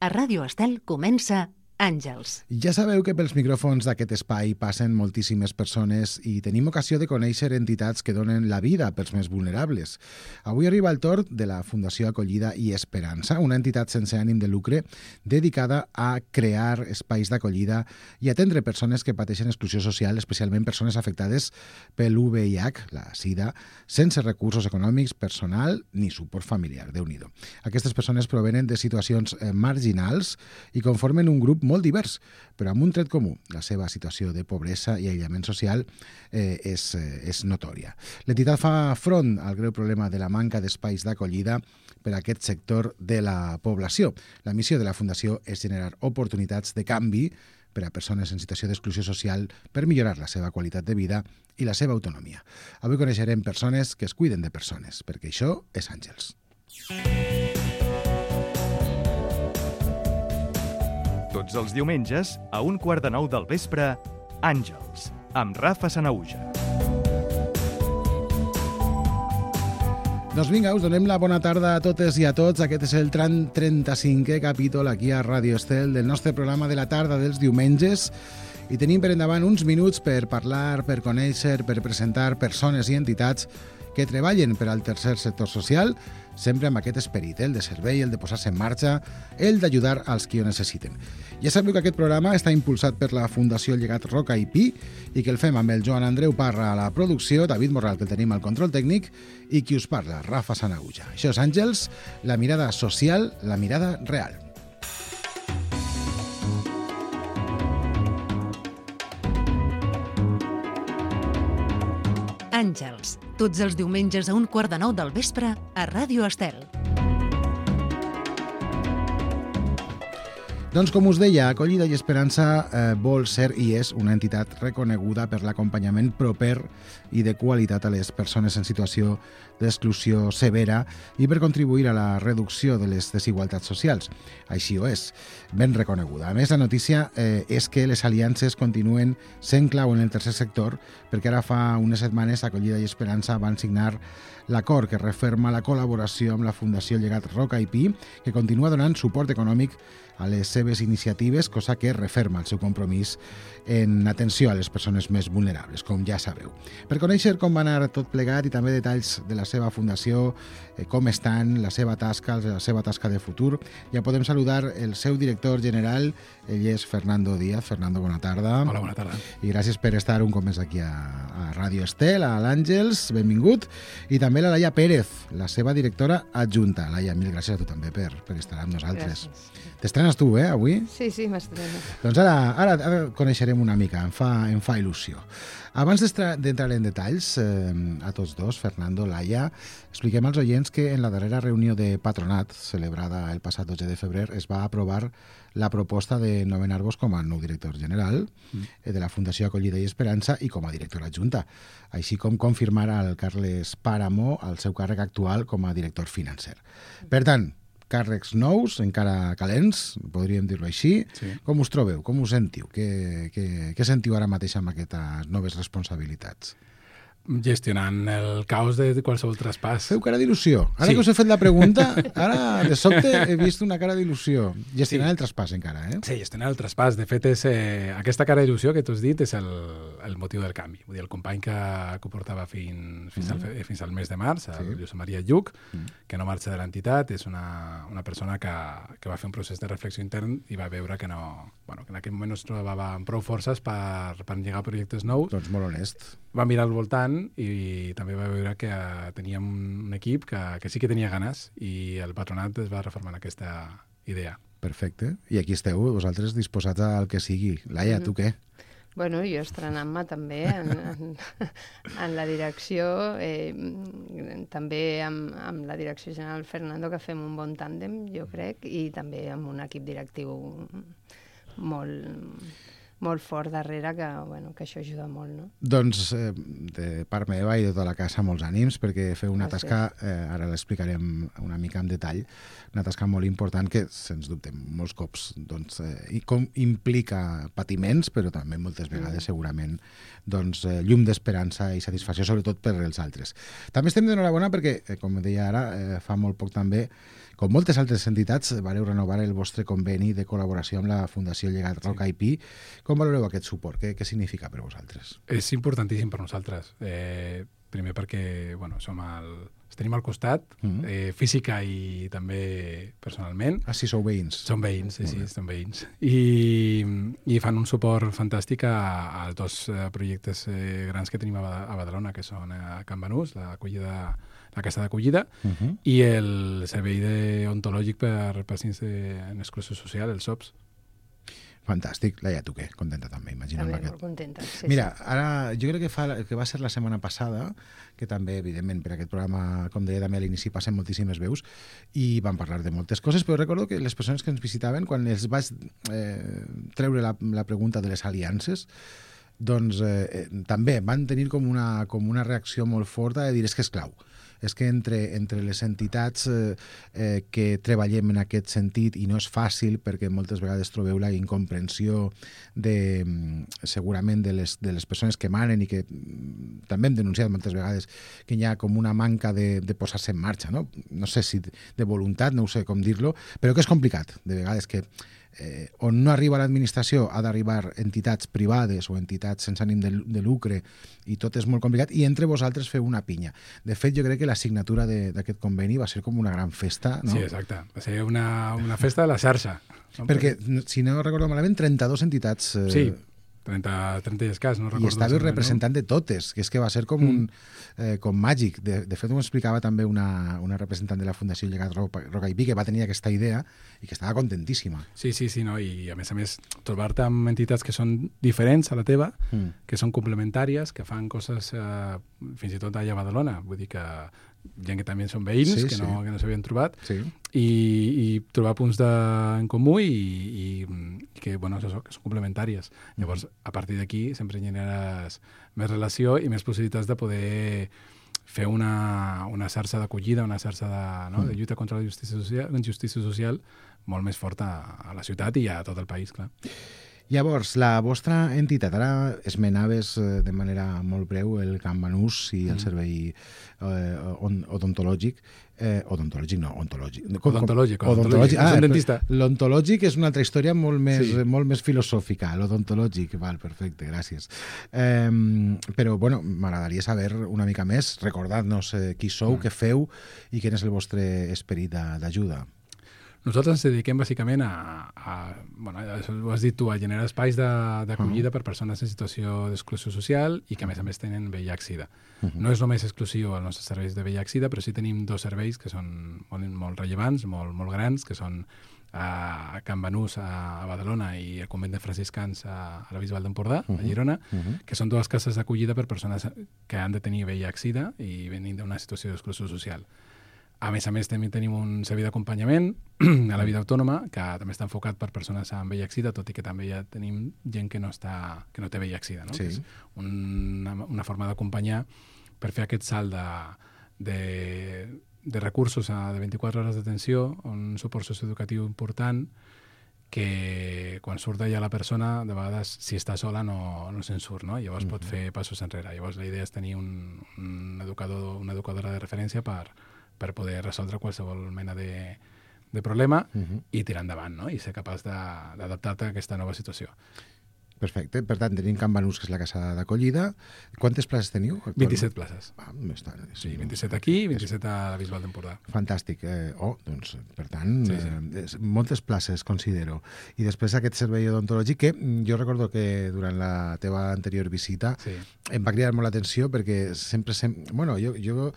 A Ràdio Estel comença Àngels. Ja sabeu que pels micròfons d'aquest espai passen moltíssimes persones i tenim ocasió de conèixer entitats que donen la vida pels més vulnerables. Avui arriba el torn de la Fundació Acollida i Esperança, una entitat sense ànim de lucre dedicada a crear espais d'acollida i atendre persones que pateixen exclusió social, especialment persones afectades pel VIH, la SIDA, sense recursos econòmics, personal ni suport familiar. Déu-n'hi-do. Aquestes persones provenen de situacions marginals i conformen un grup molt divers, però amb un tret comú. La seva situació de pobresa i aïllament social és notòria. L'entitat fa front al greu problema de la manca d'espais d'acollida per a aquest sector de la població. La missió de la Fundació és generar oportunitats de canvi per a persones en situació d'exclusió social per millorar la seva qualitat de vida i la seva autonomia. Avui coneixerem persones que es cuiden de persones, perquè això és Àngels. Tots els diumenges, a 8:45 del vespre, Àngels, amb Rafa Sanauja. Doncs vinga, us donem la bona tarda a totes i a tots. Aquest és el 35è capítol aquí a Ràdio Estel del nostre programa de la tarda dels diumenges i tenim per endavant uns minuts per parlar, per conèixer, per presentar persones i entitats que treballen per al tercer sector social, sempre amb aquest esperit, el de servei, el de posar-se en marxa, el d'ajudar als qui ho necessiten. Ja sabeu que aquest programa està impulsat per la Fundació Llegat Roca i Pi i que el fem amb el Joan Andreu Parra a la producció, David Morral, que el tenim al control tècnic, i qui us parla, Rafa Sanauja. Això és Àngels, la mirada social, la mirada real. Àngels, tots els diumenges a 8:45 del vespre a Ràdio Estel. Doncs com us deia, Acollida i Esperança vol ser i és una entitat reconeguda per l'acompanyament proper i de qualitat a les persones en situació d'exclusió severa i per contribuir a la reducció de les desigualtats socials. Així ho és, ben reconeguda. A més, la notícia és que les aliances continuen sent clau en el tercer sector, perquè ara fa unes setmanes Acollida i Esperança van signar l'acord que referma la col·laboració amb la Fundació Llegat Roca i Pi, que continua donant suport econòmic a les seves iniciatives, cosa que referma el seu compromís en atenció a les persones més vulnerables, com ja sabeu. Per conèixer com va anar tot plegat i també detalls de la seva fundació, com estan, la seva tasca de futur, ja podem saludar el seu director general, ell és Fernando Díaz. Fernando, bona tarda. Hola, bona tarda. I gràcies per estar un cop més aquí a Ràdio Estel, a l'Àngels, benvingut. I també la Laia Pérez, la seva directora adjunta. Laia, mil gràcies a tu també per estar amb nosaltres. Gràcies. T'estrenes tu, avui? Sí, m'estreno. Doncs ara coneixerem una mica, em fa il·lusió. Abans d'entrar en detalls, a tots dos, Fernando, Laia, expliquem als oients que en la darrera reunió de patronat, celebrada el passat 12 de febrer, es va aprovar la proposta de nomenar-vos com a nou director general de la Fundació Acollida i Esperança i com a directora adjunta, així com confirmar al Carles Páramo el seu càrrec actual com a director financer. Per tant, càrrecs nous, encara calents, podríem dir-ho així. Sí. Com us trobeu? Com us sentiu? Què sentiu ara mateix amb aquestes noves responsabilitats? Gestionant el caos de qualsevol traspàs. Feu cara d'il·lusió. Ara sí. Que us he fet la pregunta, ara de sobte he vist una cara d'il·lusió. Gestionant el traspàs encara, Sí, gestionant el traspàs. De fet, aquesta cara d'il·lusió que tu has dit és el motiu del canvi. Vull dir, el company que portava fins al mes de març, el Josep Maria Lluc, que no marxa de l'entitat, és una persona que va fer un procés de reflexió intern i va veure que en aquell moment no es trobava amb prou forces per engegar projectes nous. Doncs molt honest. Va mirar al voltant i també va veure que teníem un equip que sí que tenia ganes i el patronat es va reformar aquesta idea. Perfecte. I aquí esteu, vosaltres disposats al que sigui. Laia, tu què? Bueno, jo estrenant-me també en la direcció, també amb la direcció general Fernando, que fem un bon tàndem, jo crec, i també amb un equip directiu molt fort darrere que, bueno, que això ajuda molt, no? Doncs de part meva i de tota la casa molts ànims, perquè feu una tasca, ara l'explicarem una mica en detall, una tasca molt important que, sens dubte, molts cops doncs, implica patiments, però també moltes vegades segurament doncs, llum d'esperança i satisfacció, sobretot per als altres. També estem d'enhorabona perquè, com deia ara, fa molt poc també, com moltes altres entitats, vareu renovar el vostre conveni de col·laboració amb la Fundació Llegat Roca IP. Com valoreu aquest suport? Què significa per vosaltres? És importantíssim per nosaltres. Primer perquè els tenim al costat, física i també personalment. Ah, sí, sou veïns. Som veïns, sí, som veïns. I fan un suport fantàstic als dos projectes grans que tenim a Badalona, que són a Can Banús, la casa d'acollida, i el servei ontològic per pacients en exclusió social, els SOPs. Fantàstic. Laia, tu què? Contenta també, imagino. També molt contenta, sí. Mira, ara jo crec que va ser la setmana passada, que també, evidentment, per aquest programa, com deia també a l'inici, passen moltíssimes veus i vam parlar de moltes coses, però recordo que les persones que ens visitaven, quan els vaig treure la pregunta de les aliances, doncs també van tenir com una reacció molt forta de dir és que és clau. És que entre les entitats que treballem en aquest sentit, i no és fàcil perquè moltes vegades trobeu la incomprensió segurament de les persones que manen i que també hem denunciat moltes vegades que hi ha com una manca de posar-se en marxa, no? No sé si de voluntat, no sé com dir-lo, però que és complicat, de vegades que on no arriba l'administració ha d'arribar entitats privades o entitats sense ànim de lucre i tot és molt complicat i entre vosaltres feu una pinya. De fet, jo crec que la signatura d'aquest conveni va ser com una gran festa, no? Sí, exacte. Va ser una festa de la xarxa. Perquè, si no recordo malament, 32 entitats... Sí, 30 i escàs, no recordo. I estàveu representant de totes, que és que va ser com com màgic. De fet, m'ho explicava també una representant de la Fundació Llegat Roca IP, que va tenir aquesta idea i que estava contentíssima. Sí, no? I a més, trobar-te amb entitats que són diferents a la teva, que són complementàries, que fan coses fins i tot allà a Badalona. Vull dir que gent que també són veïns, que no s'havien trobat, i trobar punts en comú i que, que són complementàries. Llavors, a partir d'aquí sempre generes més relació i més possibilitats de poder fer una xarxa d'acollida, una xarxa de lluita contra la injustícia social molt més forta a la ciutat i a tot el país, clar. Llavors, la vostra entitat, ara esmenaves de manera molt breu el Can Banús i el servei odontològic. Odontològic. Som dentista. L'ontològic és una altra història molt més filosòfica. L'odontològic, val, perfecte, gràcies. Però, m'agradaria saber una mica més, recordar-nos qui sou, què feu i quin és el vostre esperit d'ajuda. Nosaltres ens dediquem bàsicament ho has dit tu, a generar espais d'acollida per persones en situació d'exclusió social i que a més tenen VIH-Sida. No és només exclusiu als nostres serveis de VIH-Sida, però sí tenim dos serveis que són molt rellevants, molt grans, que són a Can Banús, a Badalona, i el convent de franciscans a la Bisbal d'Empordà, a Girona, que són dues cases d'acollida per persones que han de tenir VIH-Sida i venint d'una situació d'exclusió social. A més, també tenim un servei d'acompanyament a la vida autònoma, que també està enfocat per persones amb VIH-Sida, tot i que també ja tenim gent que no té VIH-Sida, no? Que és una forma d'acompanyar per fer aquest salt de recursos de 24 hores d'atenció, un suport socioeducatiu important, que quan surt d'allà la persona, de vegades, si està sola, no se'n surt, no? Llavors pot fer passos enrere. Llavors la idea és tenir una educadora de referència per poder resoldre qualsevol mena de problema i tirar endavant, no? I ser capaç d'adaptar-te a aquesta nova situació. Perfecte. Per tant, tenim Can Banús, que és la casa d'acollida. Quantes places teniu? 27 places. Més tard. Sí, 27 aquí i 27 a la Bisbal d'Empordà. Fantàstic. Doncs, per tant, moltes places, considero. I després aquest servei odontològic, que jo recordo que durant la teva anterior visita em va cridar molt l'atenció perquè jo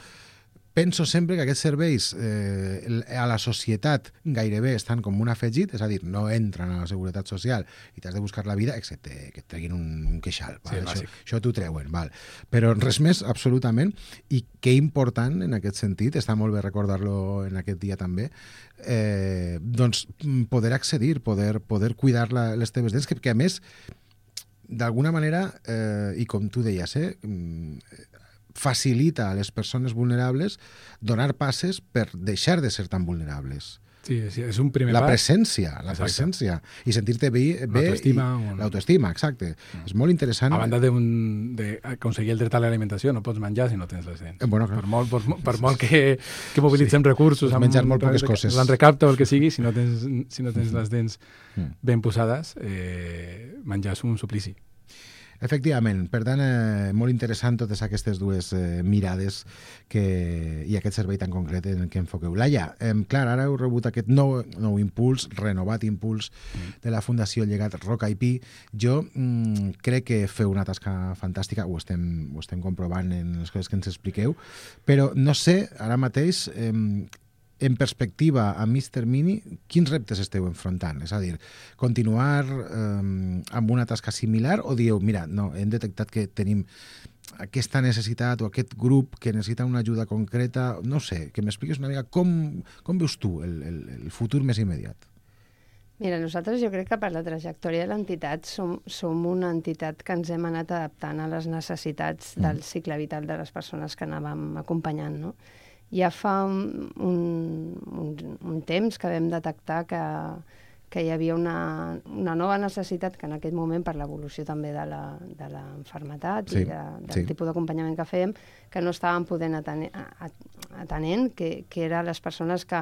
penso sempre que aquests serveis a la societat gairebé estan com un afegit, és a dir, no entren a la seguretat social i t'has de buscar la vida, excepte que et treguin un queixal. Això t'ho treuen, val. Però res més, absolutament. I que important, en aquest sentit, està molt bé recordar-lo en aquest dia també, doncs poder accedir, poder cuidar les teves dents, que a més d'alguna manera, i com tu deies, facilita a les persones vulnerables donar passes per deixar de ser tan vulnerables. Sí, és un primer la pas. La presència. I sentir-te bé. L'autoestima, exacte. És molt interessant. A banda d'aconseguir el dret a l'alimentació, no pots menjar si no tens les dents. Bueno, clar. Per molt que mobilitzem recursos, menjar molt poques coses. L'enrecapte o el que sigui, si no tens les dents ben posades, menjar és un suplici. Efectivament, per tant, molt interessant totes aquestes dues mirades i aquest servei tan concret en què enfoqueu. Laia, clar, ara heu rebut aquest nou impuls, renovat impuls de la Fundació Llegat Roca i Pi. Jo crec que feu una tasca fantàstica, ho estem comprovant en les coses que ens expliqueu, però no sé, ara mateix, en perspectiva a mig termini, quins reptes esteu enfrontant? És a dir, continuar amb una tasca similar o dieu, mira, no, hem detectat que tenim aquesta necessitat o aquest grup que necessita una ajuda concreta, no sé, que m'expliquis una mica com veus tu el futur més immediat? Mira, nosaltres jo crec que per la trajectòria de l'entitat som una entitat que ens hem anat adaptant a les necessitats del cicle vital de les persones que anàvem acompanyant, no? Ja fa un temps que vam detectar que hi havia una nova necessitat que en aquest moment, per l'evolució també de l'enfermetat i del tipus d'acompanyament que fèiem, que no estàvem podent atenent, que eren les persones que,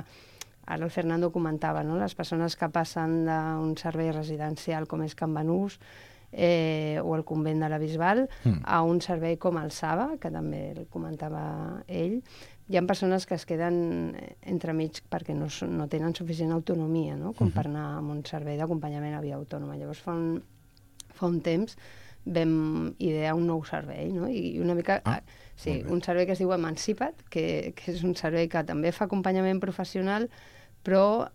ara el Fernando comentava, no? Les persones que passen d'un servei residencial com és Can Banús o el convent de la Bisbal a un servei com el Saba, que també el comentava ell. Hi ha persones que es queden entremig perquè no tenen suficient autonomia, no? Com per anar a un servei d'acompanyament a via autònoma. Llavors, fa un temps vam idear un nou servei, no? I una mica... un servei que es diu Emancipa't, que és un servei que també fa acompanyament professional, però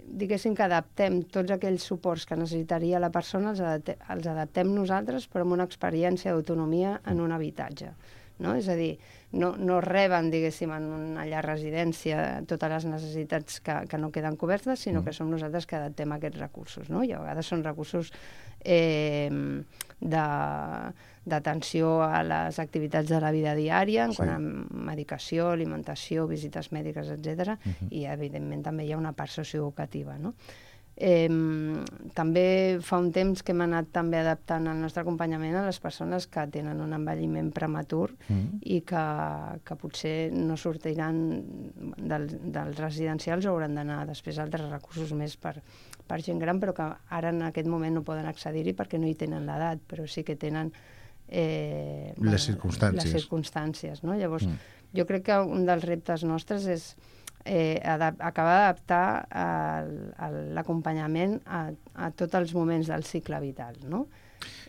diguéssim que adaptem tots aquells suports que necessitaria la persona, els adaptem nosaltres, però amb una experiència d'autonomia en un habitatge. No? És a dir, no reben, diguéssim, en una llar residència totes les necessitats que no queden cobertes, sinó que som nosaltres que adaptem aquests recursos, no? I a vegades són recursos d'atenció a les activitats de la vida diària, en quant a medicació, alimentació, visites mèdiques, etc. I, evidentment, també hi ha una part socioeducativa, no? També fa un temps que hem anat també adaptant el nostre acompanyament a les persones que tenen un envelliment prematur i que potser no sortiran dels residencials o hauran d'anar després a altres recursos més per gent gran, però que ara en aquest moment no poden accedir-hi perquè no hi tenen l'edat, però sí que tenen les circumstàncies, no? Llavors, jo crec que un dels reptes nostres és acabar d'adaptar l'acompanyament a tots els moments del cicle vital, no?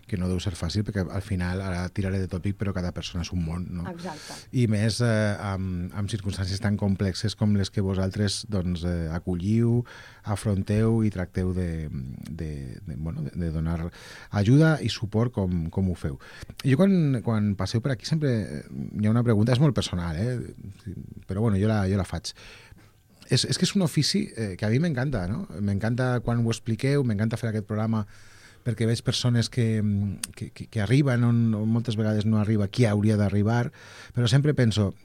Que no deu ser fàcil, perquè al final, ara tiraré de tòpic, però cada persona és un món, no? Exacte. I més amb circumstàncies tan complexes com les que vosaltres acolliu, afronteu i tracteu de donar ajuda i suport com ho feu. Jo quan passeu per aquí sempre hi ha una pregunta, és molt personal, però bueno, jo la faig. És que és un ofici que a mi m'encanta, no? M'encanta quan ho expliqueu, m'encanta fer aquest programa perquè veig persones que arriben on moltes vegades no arriba qui hauria d'arribar, però sempre penso,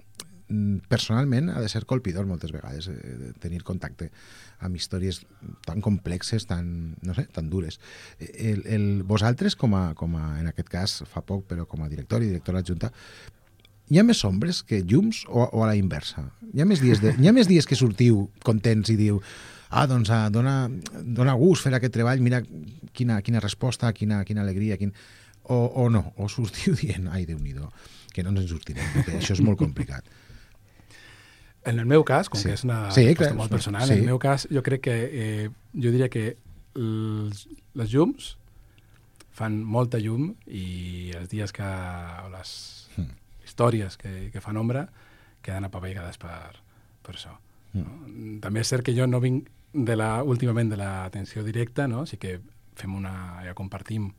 personalment ha de ser colpidor moltes vegades tenir contacte amb històries tan complexes, tan dures. Vosaltres, com a, en aquest cas, fa poc, però com a director i directora adjunta, hi ha més ombres que llums o a la inversa? Hi ha més dies que sortiu contents i diu doncs dona gust fer aquest treball, mira quina resposta, quina alegria, o no, o sortiu dient, ai, Déu-n'hi-do, que no ens en sortirem, perquè això és molt complicat. En el meu cas, com que és una resposta molt personal, en el meu cas jo crec que, jo diria que les llums fan molta llum i els dies o les històries que fan ombra queden apaveigades per això. No? També és cert que jo no vinc últimament de l'atenció directa, no? Sí que fem ja compartim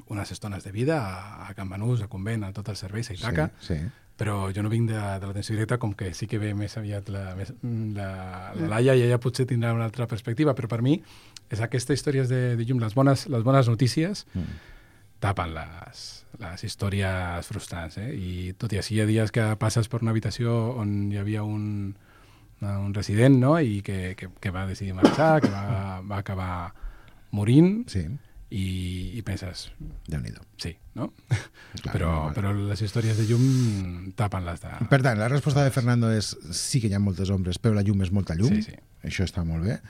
unes estones de vida a Can Banús, a Convent, a tots els serveis, a Itaca, Sí. però jo no vinc de l'atenció directa, com que sí que ve més aviat la Laia, i ella potser tindrà una altra perspectiva, però per mi és aquestes històries de llum, les bones notícies tapen les històries frustrants, i tot i així hi ha dies que passes per una habitació on hi havia un resident, no?, i que va decidir marxar, que va acabar morint, Sí. i penses, Déu-n'hi-do. sí, no? Clar, però les històries de llum tapen les de... Per tant, la resposta de Fernando és sí que hi ha moltes ombres, però la llum és molta llum. Sí. Això està molt bé.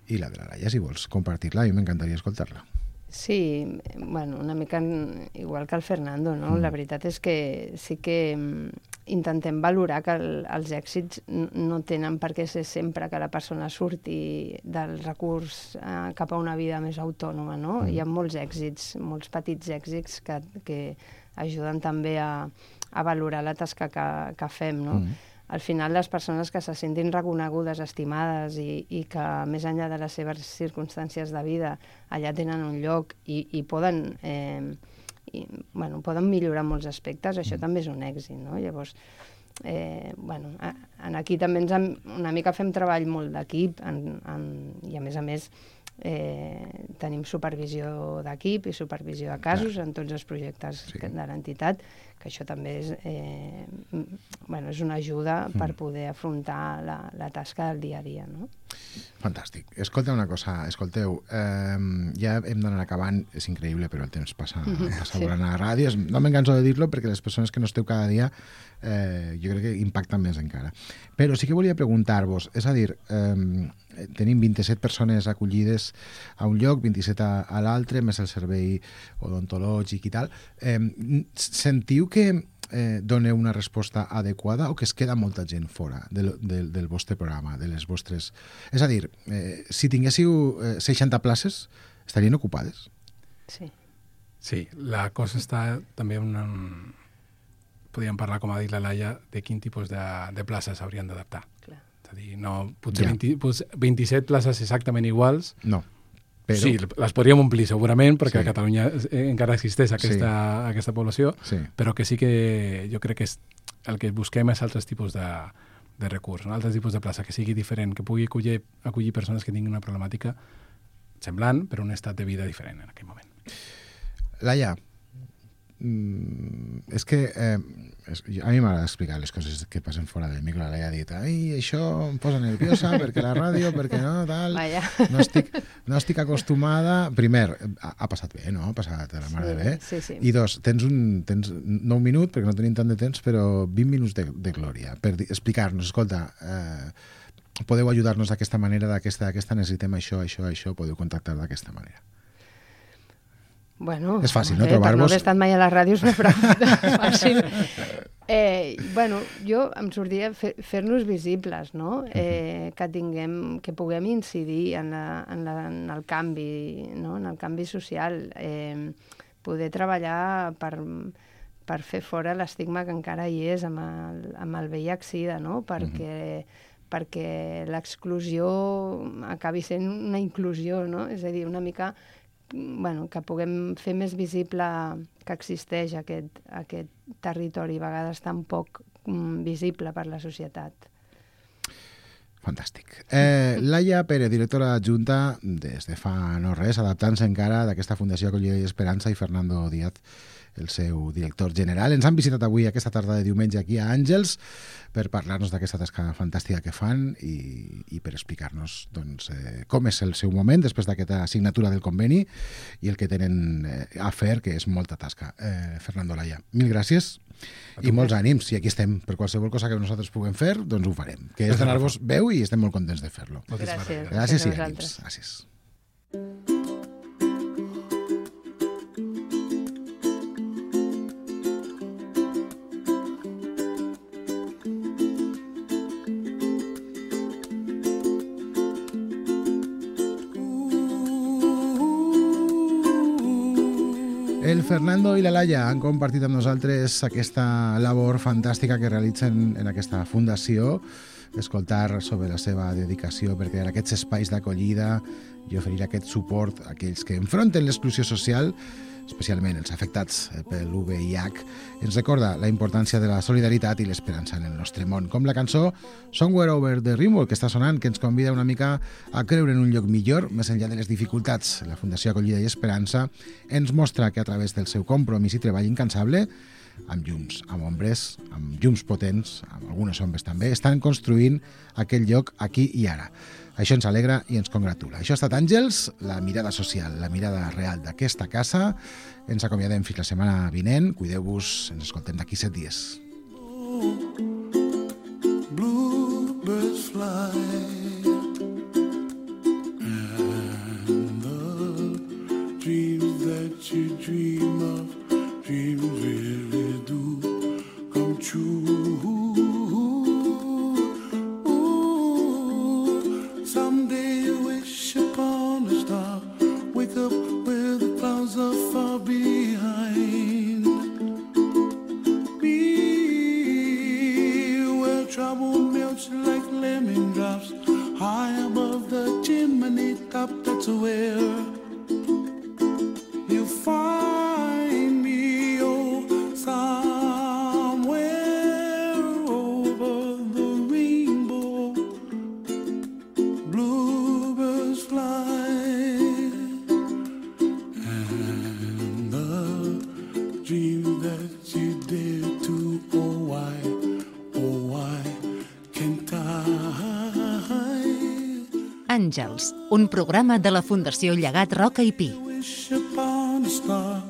I la de la Laia, si vols compartir-la, a mi m'encantaria escoltar-la. Sí, bueno, una mica igual que el Fernando, no? La veritat és que sí que intentem valorar que els èxits no tenen per què ser sempre que la persona surti del recurs cap a una vida més autònoma, no? Hi ha molts èxits, molts petits èxits que ajuden també a valorar la tasca que fem, no? Al final, les persones que se sentin reconegudes, estimades i que, més enllà de les seves circumstàncies de vida, allà tenen un lloc i poden millorar molts aspectes, això també és un èxit, no? Llavors, aquí també una mica fem treball molt d'equip i, a més, tenim supervisió d'equip i supervisió de casos en tots els projectes de l'entitat, que això també és una ajuda per poder afrontar la tasca del dia a dia, no? Fantàstic. Escolta una cosa, escolteu, ja hem d'anar acabant, és increïble, però el temps passa volant a la ràdio. No me'n canso de dir-lo perquè les persones que no esteu cada dia jo crec que impacten més encara. Però sí que volia preguntar-vos, és a dir, tenim 27 persones acollides a un lloc, 27 a l'altre, més el servei odontològic i tal. Sentiu que doneu una resposta adequada o que es queda molta gent fora del vostre programa, de les vostres... És a dir, si tinguéssiu 60 places, estarien ocupades? Sí. Sí, la cosa està també podríem parlar, com ha dit la Laia, de quin tipus de places s'haurien d'adaptar. Clar. És a dir, no, potser 27 places exactament iguals. No. Però... Sí, les podríem omplir segurament, perquè Sí. a Catalunya encara existeix aquesta població, però que sí que jo crec que el que busquem és altres tipus de recurs, altres tipus de plaça, que sigui diferent, que pugui acollir persones que tinguin una problemàtica semblant, però un estat de vida diferent en aquell moment. Laia, és que a mi m'agrada explicar les coses que passen fora del micro. La Laia ha dit, ai, això em posa nerviosa perquè la ràdio, perquè no, tal, no estic acostumada. Primer, ha passat bé, no? Ha passat a la mar de bé. Sí. I dos, tens no un minut, perquè no tenim tant de temps, però 20 minuts de glòria per explicar-nos, escolta, podeu ajudar-nos d'aquesta manera, d'aquesta necessitem això, podeu contactar d'aquesta manera. Bueno, és fàcil, no? Trobar-vos... Per no haver estat mai a les ràdios no és prou fàcil. Jo em sortia fer-nos visibles, no? Que puguem incidir en el canvi, no? En el canvi social, poder treballar per fer fora l'estigma que encara hi és amb el VIH-Sida, no? Perquè l'exclusió acabi sent una inclusió, no? És a dir, una mica... que puguem fer més visible que existeix aquest territori, a vegades tan poc visible per la societat. Fantàstic. Laia Pérez, directora adjunta des de fa no res, adaptant-se encara d'aquesta Fundació Acollida i Esperança, i Fernando Díaz, el seu director general. Ens han visitat avui aquesta tarda de diumenge aquí a Àngels per parlar-nos d'aquesta tasca fantàstica que fan i per explicar-nos com és el seu moment després d'aquesta signatura del conveni i el que tenen a fer, que és molta tasca. Fernando, Laia, mil gràcies i molts ànims, i aquí estem. Per qualsevol cosa que nosaltres puguem fer, doncs ho farem, que és donar-vos veu i estem molt contents de fer-lo. Gràcies i ànims. Gràcies. El Fernando i la Laia han compartit amb nosaltres aquesta labor fantàstica que realitzen en aquesta fundació escoltar sobre la seva dedicació per crear aquests espais d'acollida i oferir aquest suport a aquells que enfronten l'exclusió social, especialment els afectats pel VIH, ens recorda la importància de la solidaritat i l'esperança en el nostre món, com la cançó Somewhere Over the Rainbow, que està sonant, que ens convida una mica a creure en un lloc millor, més enllà de les dificultats. La Fundació Acollida i Esperança ens mostra que a través del seu compromís i treball incansable, amb llums, amb ombres, amb llums potents, amb algunes ombres també, estan construint aquell lloc aquí i ara. Això ens alegra i ens congratula. Això ha estat Àngels, la mirada social, la mirada real d'aquesta casa. Ens acomiadem fins la setmana vinent. Cuideu-vos, ens escoltem d'aquí 7 dies. Bluebirds fly and the dreams that you dream of, dreams really do come true. Someday you wish upon a star, wake up where the clouds are far behind. Be where trouble melts like lemon drops, high above the chimney top, that's where you find me, oh, somewhere over the rainbow. Bluebirds fly and the dream that you dare to, oh why can't I? Àngels, un programa de la Fundació Llegat Roca i Pi. Wish upon a star,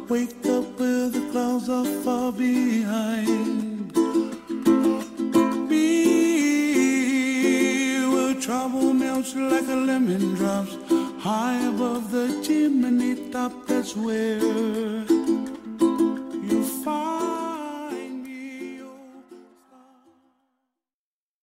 wake up where the clouds are far behind. Be where trouble melts like a lemon drops, high above the chimney top, that's where